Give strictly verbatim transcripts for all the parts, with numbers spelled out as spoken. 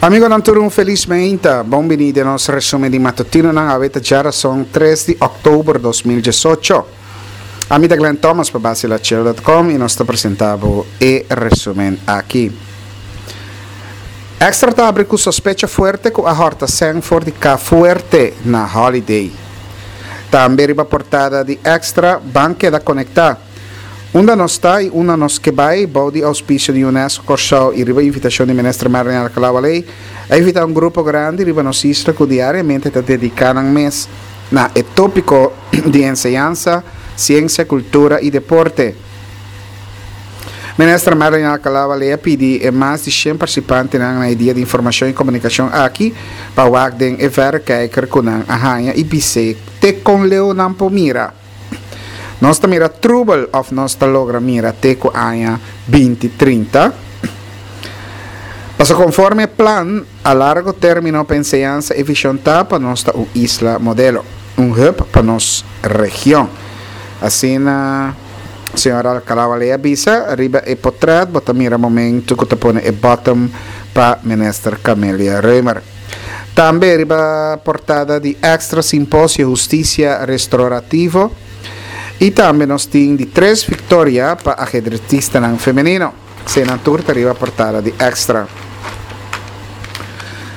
Amigonan tur, un felis mainta. Bon bini den nos resumen di matutinonan. Awe ta djarason tres di òktober dos mil diesocho. Ami ta Glenn Thomas pa Basilachel dot com i nos ta presentá bo e resumen aki. Extra ta abri ku sospecha fuerte ku a hòrta sèn for di Ka Fuerte na Holiday. Tambe riba portada di Extra, Ban keda konektá. Unda nos ta i unda nos ke bai, bou di ouspisio di UNESCO Kòrsou i riba invitashon di Minister Merlin Alcalá-Wallé, a invitá un grupo grandi riba nos isla ku diariamente ta dediká nan mes na e tópiko di enseñansa, siensia, kultura i deporte. Minister Merlin Alcalá-Wallé a pidi e mas di shen partisipantenan na e dia di informashon i komunikashon aki pa wak den e vèrekijker ku nan a haña i bis'é te kon leu nan por mira. Nos ta mira trubel of nos ta logra mira te cu aña binti trinta? Paso conforme e plan a largo termino pa enseñansa e vision ta pa nos ta un isla modelo, un hub pa nos region. Asina señor Alcalá Wallé a bisa. Riba e potret bo ta mira momento cu ta pone e bottom pa Minister Camelia Römer. Tambe riba portada di Extra Simposio Husticia Restaurativo y tambe nos tin di tres victoria pa ajedretistanan femenino. Eseinan tur ta riba portada di Extra.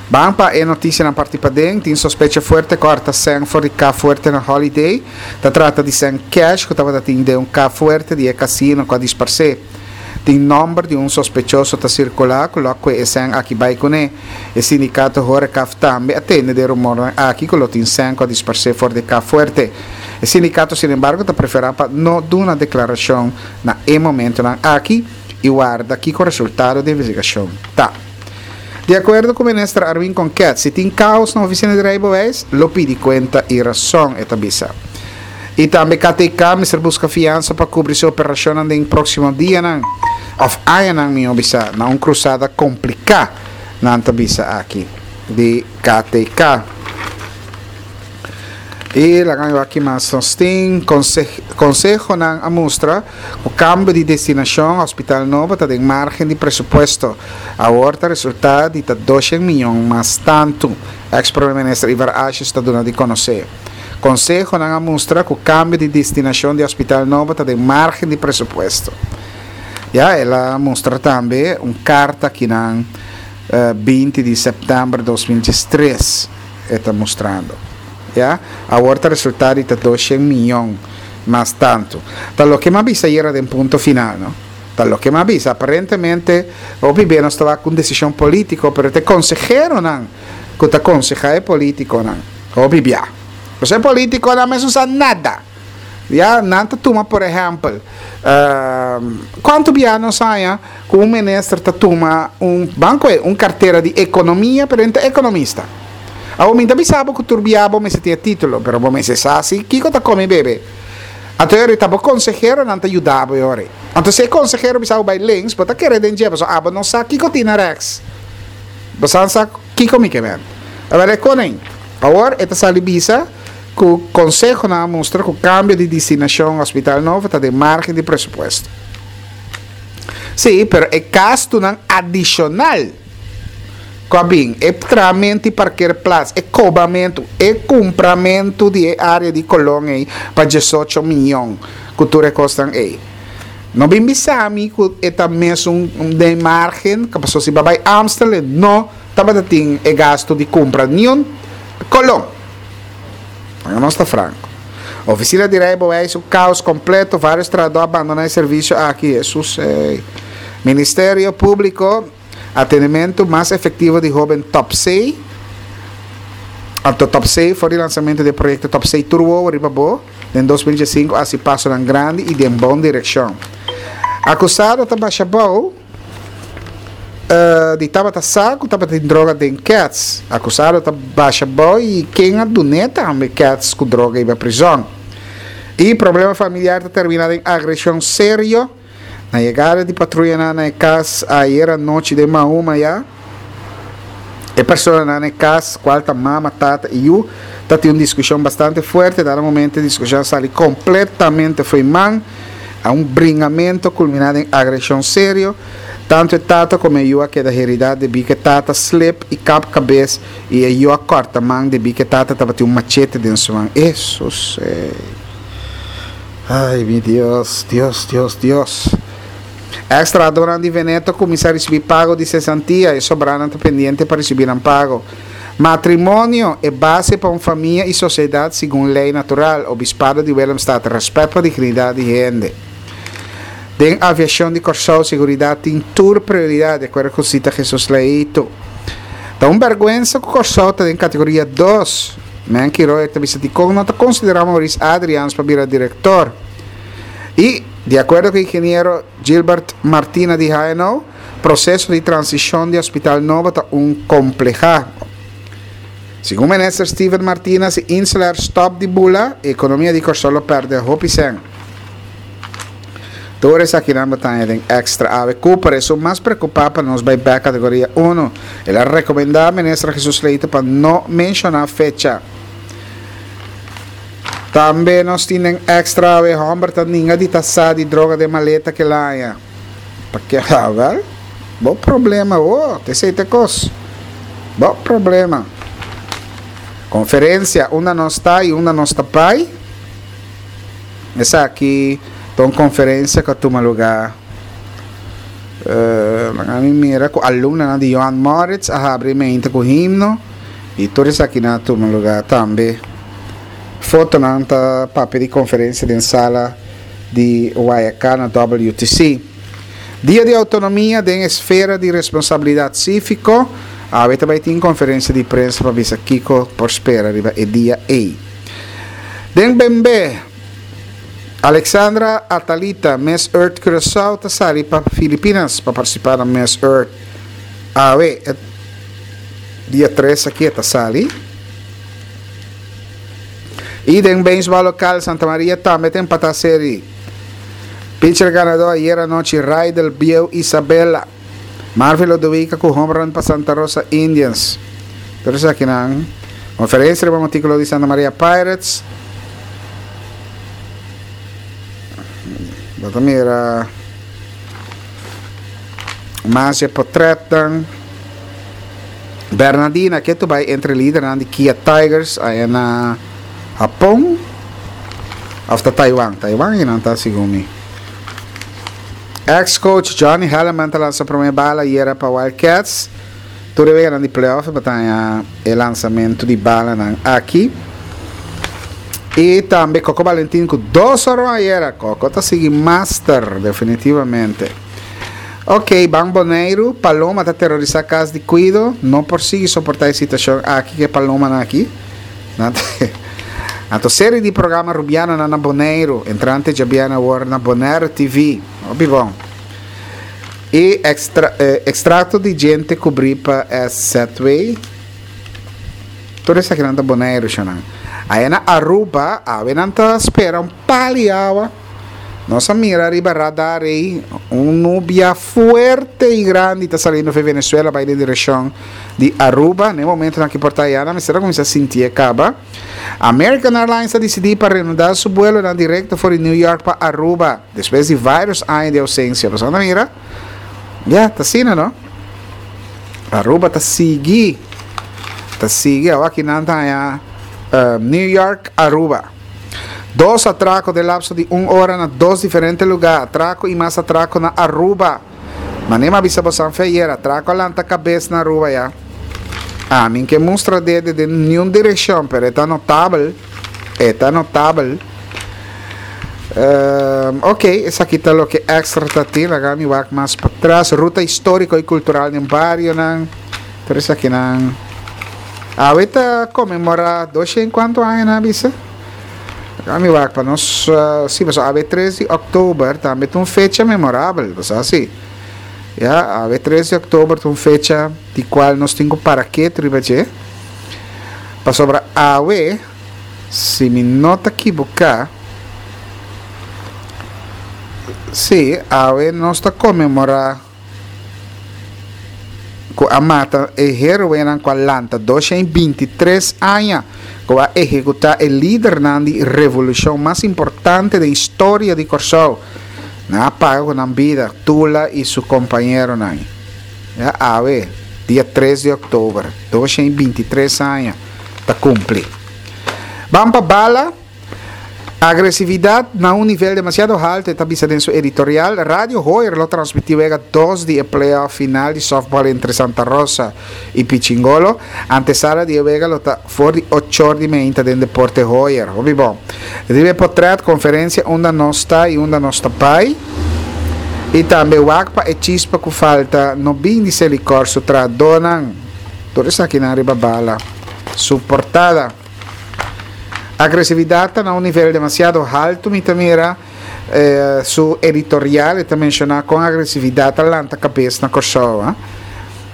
Ban pa e noticianan parti paden. Tin sospecha fuerte cu harta sèn for di Ka Fuerte na Holiday. Ta trata di sèn cash cu tabata tin den un Ka Fuerte di e casino cu a disparse. Tin nomber di un sospechoso ta circula cu lo a cue e sèn aki bai cune. E sindicato Horecaf tambe a tende den rumornan aki cu lo tin sèn cu a disparse for di Ka Fuerte. E sindicato sinembargo ta prefera pa no duna declaracion na e momentonan aki y warda kico resultado di investigacion ta. Di acuerdo cu Minister Arwin Konket, si tin caos na oficina di Rijbewijs, lo pidi cuenta y rason, e ta bisa. Y tambe K T K mester busca fiansa pa cubri su operacionnan den proximo dianan, of añanan miho bisa, na un cruzada complica, nan ta bisa aki di K T K. Y laga mi wak mas nos tin. Consehonan a mustra cu cambio di destinacion hospital nobo ta den margen di presupuesto. Awor ta resulta di ta doshen miyon mas tanto, ex prome minister Ivar Asjes ta duna di conoce. Consehonan a mustra cu cambio di destinacion di hospital nobo ta den margen di presupuesto. Ya, el a mustra tambe un carta kinan, eh, binti di september dos mil diestres e ta mustrando. Ya, awor ta resulta di ta doshen miyon mas tanto. Ta loke m'a bisa ayera den Punto Final, no? Ta loke m'a bisa. Aparentemente, hopi be nos ta cu un decision politico, pero te consejeronan cu ta conseja e politiconan. Hopi bia. Pues e politiconan mes no sa nada. Ya, nan ta tuma, por ehempel, ehm, cuanto bia nos haya cu un minister ta tuma un banco, un cartera di economia, pero enta economista. Awo minta bisabo cu turbiabo me se tiene título, pero bo me se sa si kiko ta come bebe. Anto yori ta bo consejero nan ta ayudabo yori. Anto se consejero bisabo bay links, bo ta kere den jeba, so abo no sa kiko tina rechts. Bo sa sa kiko mi ke men. A ver, koning. Awor, eta sali bisa cu consejo na mostra cu cambio di destinacion hospital novo ta de margen di presupuesto. Sí, pero e gastonan adicional Kobin, e tramento e parkeerplaats, e cobamento, e cumpramento di e area di Colón ei pa diesocho miljoen cu tur e costan ei. No bin bisami cu e ta mes un, un de margen, que pasó si babay Amstel, no tabata tin e gasto di compra ni un Colón. No está franco. Oficina di Rijbewijs, un caos completo, varios trabajadores abandonan el servicio aquí. Jesús, eh. Ministerio Público, atendimento mas efectivo di joven Top C. Anto Top C, for el lanzamiento del proyecto Top C Turbo, arriba bo, en dos mil diescinco, así paso tan grande y de buena dirección. Acusado ta basha bou, eh, di tabata sa ku tabata tin droga den Cats. Acusado ta basha bou y ken a duneta ambe Cats ku droga iba prison. Y problema familiar ta termina den agresión serio. Na llegada di patrulla na na cas ayer anoche de Mahuma ya. E persona na na cas, cual ta mama, tata y yu, ta tin una discusión bastante fuerte. Dado momento discusión sali completamente foi man a un bringamento culminado en agresión serio. Tantu e tata komo e yu a keda heridá debí ku e tata slep i kap kabes i e yu a kòrta man debí ku e tata tabatin un machete den su man. Hesus ey! Ay mi Dios, Dios, Dios, Dios! Eks trahadónan di Veneto kuminsá risibí pago di sesantia, e sobranan ta pendiente pa risibí nan pago. Matrimonio, e base pa un famia i sosiedat segun lei natural, Obispado di Willemstad, Rèspèt pa dignidat di hende. Den aviashon di Kòrsou seguridat tin tur prioridat, di akuerdo ku Sita Jesus Leito. Ta un bèrgwensa ku Kòrsou ta den kategoria dos. Menky Royer ta bisa dikon no ta konsiderá Maurice Adriaans pa bira direktor. I, di akuerdo ku ingeniero Gilbert Martina di H N O, proseso di transishon di hospital nobo ta un komplehá. Segun minister Steven Martina, si InselAir stòp di bula, ekonomia di Kòrsou lo pèrdè hopi sèn. Tur esakinan bo ta haña den Extra awe. Cooper, esun mas preokupá pa nos bai bèk kategoria unu. El a rekomendá minister Jesus Leito pa no menshoná fecha. Tambe nos tin den Extra awe, hòmber ta ninga di ta sa di droga den maleta ku el a haña. Pa ke? Wèl, bo problema wo, ta esei ta e kos. Bo problema. Konferensia, unda nos ta i unda nos ta bai. Esaki ta un konferensia ku a tuma lugá, laga mi mira, ku alumnonan di Johan Moritz a habri mente ku himno i tur esakinan a tuma lugá tambe. Fotonan ta papia di konferensia den sala di Guayacán na W T C. Dia di Autonomia den esfera di responsabilidat síviko. Awe tambe tin konferensia di prensa pa bisa kiko por spera riba e dia ei. Den B M B, Alexandra Atalita, Miss Earth Curaçao, ta sali pa Filipinas pa partisipá na Miss Earth. Awe, dia tres aki ta sali. I den beisbòl lokal, Santa Maria tambe ta empatá serie. Pitcher ganadó ayera nochi, Raidel Bieu Isabella. Marvin Lodowica ku home run pa Santa Rosa Indians. Pero esakinan konferensia riba artíkulo di Santa Maria Pirates. Bo ta mira mas e portretnan. Bernardina ku ta bai entre lidernan di Kia Tigers ei na Hapon. Òf ta Taiwan. Taiwan i nan ta segun mi. Ex-coach Johnny Hellerman ta lansa promé bala ayera pa Wildcats. Tur e di playoff pa e lansamentu di balanan aki. I tambe Coco Valentin ku dos honron ayera. Coco ta sigui master, definitivamente. Ok, Ban Boneiru, paloma ta terorisá kas di kuido, no por sigui soportá e situashon aki, ku palomanan aki. Anto serie di programa Rubiano na na Boneiru, entrante djabièrnè awor na Bonaire T V. Hopi bon. I ekstra, eh, ekstrakto di djente kubrí pa S Z W. Tur esakinan ta Boneiru, shonan. Ei na Aruba, awe nan ta spera un pal'i awa. Nos a mira riba radar ei, un nubia fuerte i grandi ta saliendo di Venezuela bai den direkshon di Aruba. Na momento aki por ta ya, mester a kuminsá sinti kaba. American Airlines a disidí pa reanudá su vuelo na direkto for di New York pa Aruba, despues di vários aña di ousensia. Bo a mira? Ya, ta asina, no? Aruba ta sigui. Ta sigui, aki nan ta ya, uh, New York, Aruba. Dos atrako den lapso di un ora na dos diferente lugá. Atrako i mas atrako na Aruba. Manera m'a bisa boso ayera, atrako a lanta kabes na Aruba ya. Ah, mi n' ke mustra dede den ningun direkshon, pero ta notabel. Ta notabel. Um, ok, esaki ta loke Extra ta tin. Laga mi wak mas patras. Ruta históriko i kultural den barionan. Pero esakinan. Awe ta konmemorá dos kuantu aña nan a bisa? Laga mi wak pa nos, uh, si, mas awe tres di òktober tambe tin un fecha memorabel, bo si. Ya, awe tres di òktober tin un fecha di kual nos tin ku para ketu riba dje. Pasobra awe, si mi no ta ekivoká, si, awe nos ta konmemorá ku a mata e héroenan ku a lanta dos shen bintitres aña ku a ehekutá e lidernan di revolushon mas importante di historia di Kòrsou. Nan a paga ku nan bida, Tula i su kompañeronan. Ya awe, dia tres di òktober, dos i binti tres aña ta kumpli. Ban pa Bala. Agresividat na un nivel demasiado haltu, e ta bisa den su editorial. Radio Hoyer lo transmití wega dos di e playoff final di softball entre Santa Rosa i Pichingolo. Antesala di e wega lo ta for di ocho or di meinta den Deporte Hoyer. Hopi bon. Riba e potret, konferensia Unda Nos Ta i Unda Nos Ta Bai. I tambe wak pa e chispa ku falta no bin di Selikor su trahadónan. Tur esakinan riba Bala su portada. Agresividat ta na un nivel demasiado haltu mi ta mira su editorial e ta menshoná kon agresividat ta lanta kabes na Kòrsou.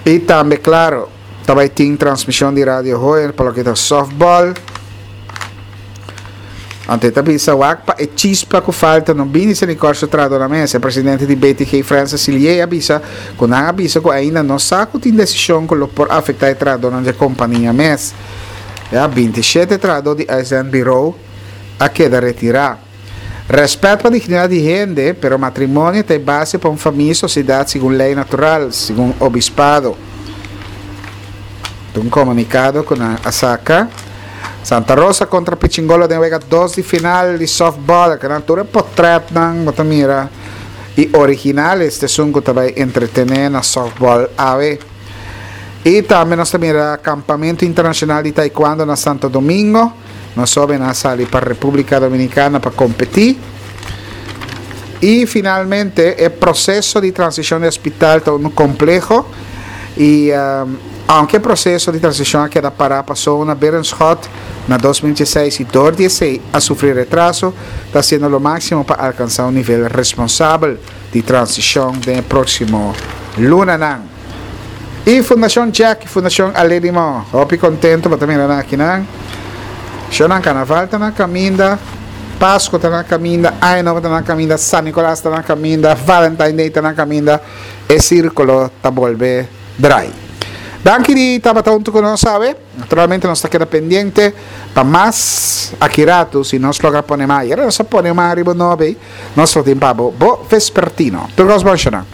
I tambe klaro ta bai tin transmishon di Radio Hoyer pa loke ta softball. Anto e ta bisa wak pa e chispa ku falta no bini Selikor su trahadó na mesa. E presidente di B T G Francis Silié a bisa ku nan a bisa ku ainda no sa ku tin desishon ku lo por afektá e trahadónan dje kompania mes. Ya binti shete trahadó di Uitzendbureau a keda retirá. Rèspèt pa dignidat di hende, pero matrimonio ta e base pa un famia i sosiedat segun lei natural, segun obispado. Ta un komunikado ku nan a saka. Santa Rosa kontra Pichingolo den wega dos di final di softball. Akinan tur e potrètnan bo ta mira i original este esun ku ta bai entretené na softball awe. I tambe nos ta mira Kampamentu Internashonal di Taekwondo na Santo Domingo. Nos hóbennan a sali pa Repúblika Dominikana pa kompetí. I finalmente e proseso di transishon di hospital ta unu kompleho i aunke e proseso di transishon a keda pará paso na Berenschot na dos mil dieseis i dor di esei a sufri retraso, ta hasiendo lo máksimo pa alkansá un nivel responsabel di transishon den e próksimo lunanan. I Fundashon Jack i Fundashon Aledimo hopi kontentu pa ta mira nan akinan. Shownan Karnaval ta na kaminda, Pasku ta na kaminda, Aña Nobo ta na kaminda, San Nikolas ta na kaminda, Valentine Day ta na kaminda, e sirkulo ta bolbe drai. Danki di tabata huntu ku nos awe. Naturalmente nos ta keda pendiente pa mas aki ratu si nos logra pone mas. Yera nos a pone mas riba nobe, nos lo tin pa bo bo vespertino. Tur kos bon, shownan.